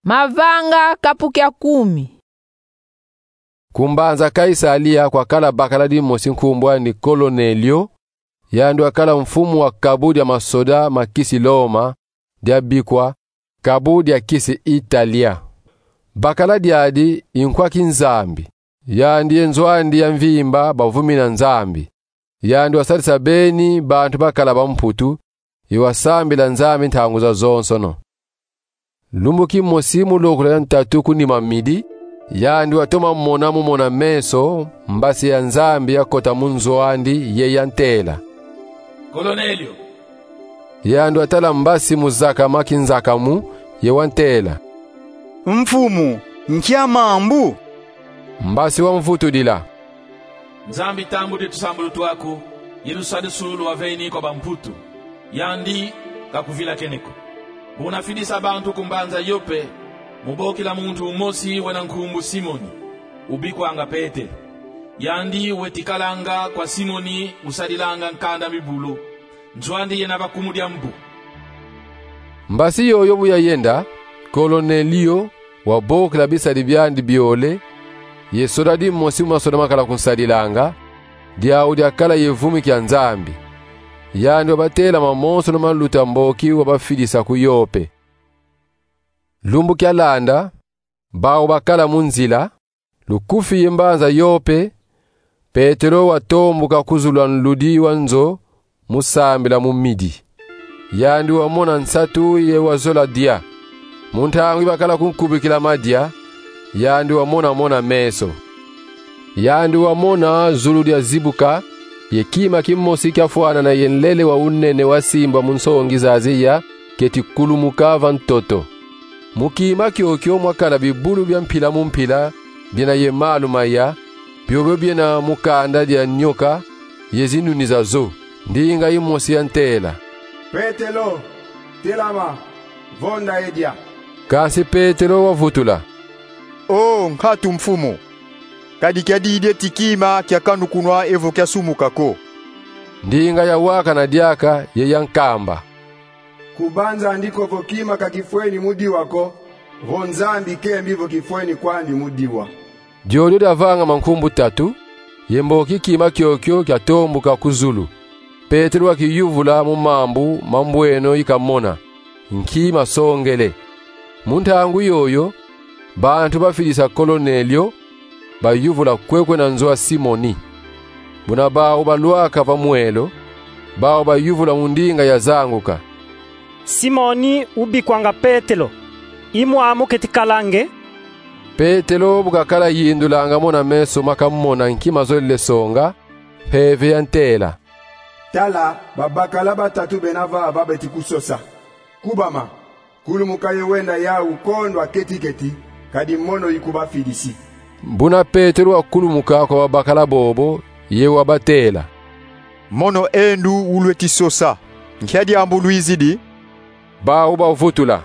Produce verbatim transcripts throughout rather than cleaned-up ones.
Mavanga kapu kia kumi. Ku mbanza Kaisalia kwakala bakala dimosi nkumbu ani Kolonelio, yandi wakala mfumu wa kabu dia masoda ma kisi Loma, diabikwa kabu dia kisi Italia. Bakala diadi i nkwa kinzambi, yandi ye nzo andi ya mvimba bavumi na Nzambi. Yandi wasadisa beni bantu bakala bamputu, ye wasambila Nzambi ntangu zazonsono. Lumbu kimosi mu lokula ya ntatu ku nima midi, yandi watoma mona mu mona-meso mbasi ya Nzambi yakota mu nzo andi ye yantela: "Kolonelio." Yandi watala mbasi mu zakama kinzakamu, ye wantela: "Mfumu, nkia mambu?" Mbasi wamvutudila: "Nzambi tambudi tusambulu twaku, ye lusadisu lwaveni kwa bamputu, yandi kakuvilakene ko. Bu unafidisa bantu ku mbanza Yope, mu bokila muntu umosi wena nkumbu Simoni, ubikwanga Petelo. Yandi weti kalanga kwa Simoni usadilanga nkanda mibulu, nzo andi yena bakumu dia mbu." Mbasi yoyo bu yayenda, Kolonelio wabokila bisadi biandi biole, ye soda dimosi mu masoda makala kunsadilanga, diau diakala ye vumi kia Nzambi. Yandi wabatela mamonsono maluta mboki wabafidisa ku Yope. Lumbu kialanda, bau bakala mu nzila, lukufi ye mbanza Yope, Petelo watombuka ku zulu a nludi wa nzo mu sambila mu midi. Yandi wamona nsatu ye wazola dia. Mu ntangu yi bakala kunkubikila madia, yandi wamona mona-meso. Yandi wamona zulu diazibuka, ye kima kimosi kiafwanana ye nlele wa unene wasimbwa mu nsongi za ziya keti kulumuka va ntoto. Mu kima kiokio mwakala bibulu bia mpila mu mpila, biena ye malu maya, biobio biena mu kanda dia nyoka ye zinuni za zo. Ndinga yimosi yantela: "Petelo, telama, vonda ye dia." Kansi Petelo wavutula: "O nkatu Mfumu, kadi kiadidi ti kima kiakanukunwa evo kiasumuka ko." Ndinga yawakana diaka ye yankamba: "Kubanza ndi ko vo kima ka kifweni mu diwa ko, vo Nzambi kembi vo kifweni kwandi mu diwa." Diodio diavangama nkumbu tatu, ye mboki kima kiokio kiatombuka ku zulu. Petelo wakiyuvula mu mambu ma mbweno yi kamona, nki masongele. Mu ntangu yoyo, bantu bafidisa Kolonelio bayuvula kwekwe na nzo a Simoni. Buna bau balwaka va mwelo, bau bayuvula mu ndinga yazanguka: "Simoni ubikwanga Petelo, i mwamu keti kalange?" Petelo bu kakala yindulanga mona-meso ma kamona nki mazolele songa, Mpeve yantela: "Tala, babakala batatu bena vava beti kusosa. Kubama, kulumuka ye wenda yau kondo a keti-keti, kadi mono ikubafidisi." Buna Petelo wakulumuka kwa babakala bobo, ye wabatela: "Mono e ndu ulweti sosa, nkia diambu lwizidi?" Bau bavutula: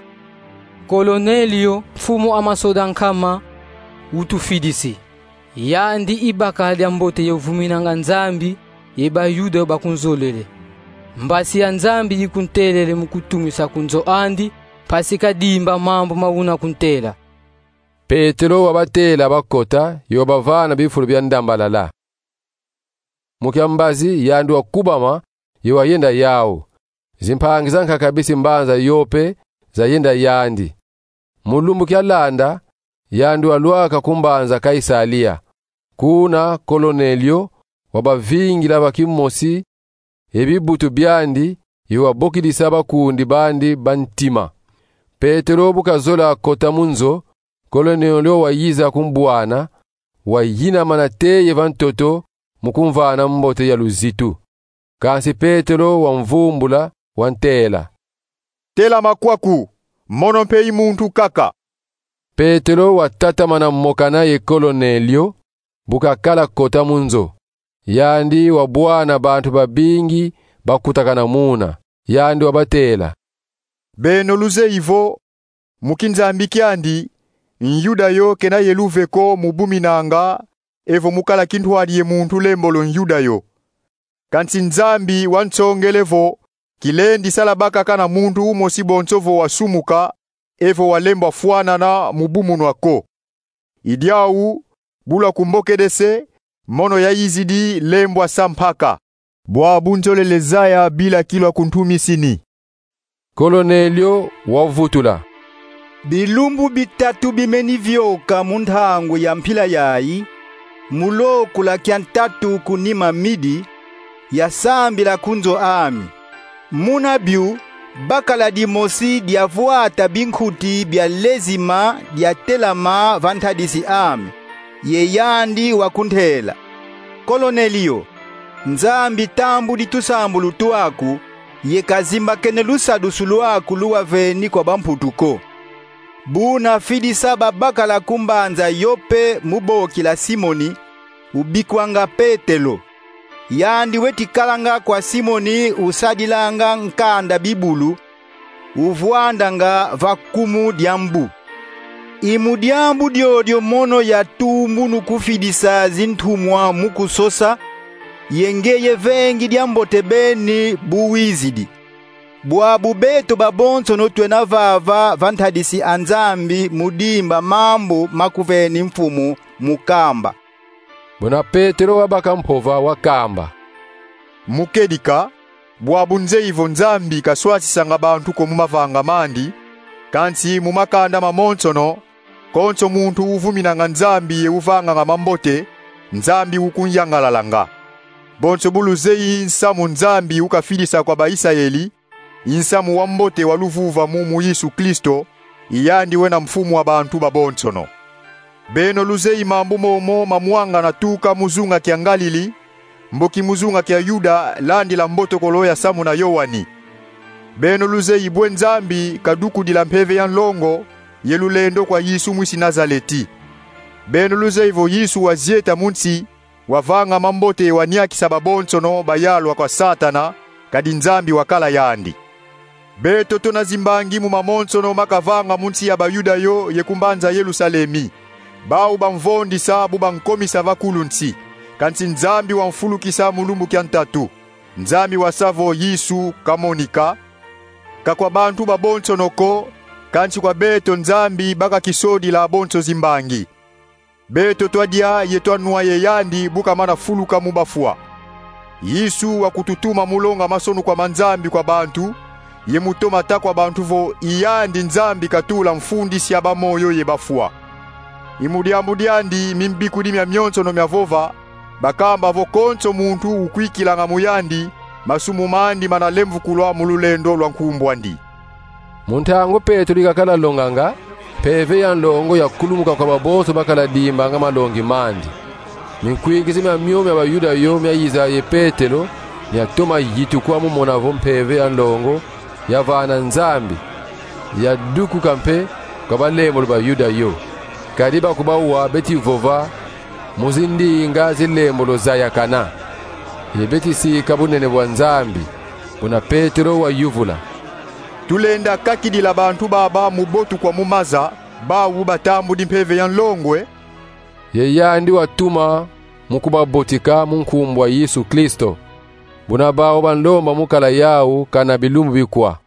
"Kolonelio, mfumu a masoda nkama, utufidisi. Yandi i bakala diambote ye uvuminanga Nzambi, ye Bayuda bakunzolele. Mbasi ya Nzambi ikuntelele mu kutumisa ku nzo andi, mpasi kadimba mambu ma una kuntela." Petelo wabatela bakota, ye wabavana bifulu bia ndambalala. Mu kiambazi yandi wakubama, ye wayenda yau. Zimpangi zankaka bisi mbanza Yope zayenda yandi. Mu lumbu kialanda, yandi walwaka ku mbanza Kaisalia. Kuna Kolonelio wabavingila va kimosi ye bibutu biandi, ye wabokidisa bakundi bandi ba ntima. Petelo bu kazola kota mu nzo, Kolonelio wayiza kumbwana, wayinama nate ye va ntoto mu kumvana mbote ya luzitu. Kansi Petelo wamvumbula, wantela: "Telama kwaku, mono mpe i muntu kaka." Petelo watatamana mokana ye Kolonelio, bu kakala kota mu nzo. Yandi wabwana bantu babingi bakutakana muna. Yandi wabatela: "Beno luzeyi vo, mu kinzambi kiandi, Nyuda yo kena ye luve ko mu buminanga evo mu kala kintwadi ye muntu lembolo Nyuda yo. Kansi Nzambi wansongele vo kilendi sala bakaka na muntu umosi bonso vo wasumuka, evo walembwa fwanana mu bumunwa ko. I diawu, bu lwakumbokedese, mono yayizidi lembwa sa mpaka. Bwabu nzolele zaya bila kilwa kuntumisini. Kornelio wavutula: Bilumbu bitatu bimeni vyoka mu ntangu ya mpila yayi, mu lokula kia ntatu ku nima midi, yasambila ku nzo ami. Muna bio, bakala dimosi diavwata binkuti bia lezima diatelama va ntadisi ami, ye yandi wakuntela: Kornelio, Nzambi tambudi tusambulu twaku, ye kazimbakene lusadusu lwaku luwaveni kwa bamputu ko. Bu nafidisa babakala ku mbanza Yope mu bokila Simoni, ubikwanga Petelo. Yandi weti kalanga kwa Simoni usadilanga nkanda bibulu, uvwandanga va kumu dia mbu. I mu diambu diodio mono yatumbunu kufidisa zintumwa mu kusosa, ye ngeye vengi diambote beni bu wizidi. Bwabu beto babonsono twena vava va ntadisi a Nzambi mu dimba mambu makuveni Mfumu mu kamba. Buna Petelo wabaka mpova, wakamba: Mu kedika, bwabu nzeyi vo Nzambi kaswasisanga bantu ko mu mavanga mandi, kansi mu makanda mamonsono, konso muntu uvuminanga Nzambi ye uvanganga mambote, Nzambi ukunyangalalanga. Bonso bu luzeyi nsamu Nzambi ukafidisa kwa ba-Isayeli, i nsamu wa mbote wa luvuvamu mu Yesu Kristo, i yandi wena Mfumu wa bantu babonsono. Beno luzeyi mambu momo mamwangana tuka mu zunga kia Ngalili, mboki mu zunga kia Yuda, landila mbotokolo yasamuna Yoani. Beno luzeyi bwe Nzambi kadukudila mpeve ya nlongo ye lulendo kwa Yesu mwisi Nazaleti. Beno luzeyi vo Yesu wazieta mu nsi, wavanga mambote, waniakisa babonsono bayalwa kwa Satana, kadi Nzambi wakala yandi. Beto tuna zimbangi mu mamonsono makavanga mu nsi ya Bayuda yo ye ku mbanza Yerusalemi. Bau bamvondisa bu bankomisa va kulu nsi, kansi Nzambi wamfulukisa mu lumbu kia ntatu. Nzambi wasa vo Yesu kamonika, ka kwa bantu babonsono ko, kansi kwa beto Nzambi baka kisodila bonso zimbangi. Beto twadia ye twanwa ye yandi bu kamana fuluka mu bafwa. Yesu wakututuma mu longa masonu kwa ma Nzambi kwa bantu, ye mu toma ta kwa bantu vo i yandi Nzambi katula mfundisi ya bamoyo ye bafwa. I mu diambu diandi mimbikudi miamionsono miavova, bakamba vo konso muntu ukwikilanga mu yandi, masumu mandi mana lemvukulwa mu lulendo lwa nkumbu andi. Mu ntangu Petelo ikakala longanga, mpeve ya nlongo yakulumuka kwa babonso bakala dimbanga malongi mandi. Minkwingiza mia mio mia Bayuda yo miayiza ye Petelo, miatoma yitukwa mu mona vo mpeve ya nlongo yavana Nzambi, yadukuka mpe kwa balembolo Bayuda yo. Kadi bakubawa beti vova mu zindinga zilembolo zayakana, ye beti sika bunene bwa Nzambi. Buna Petelo wayuvula: Tulenda kakidila bantu baba mu botukwa mu maza, bau batambudi mpeve ya nlongo e? Ye yandi watuma mu kubabotika mu nkumbu a Yesu Kristo. Buna bau banlomba mu kala yau kana bilumbu bikwa.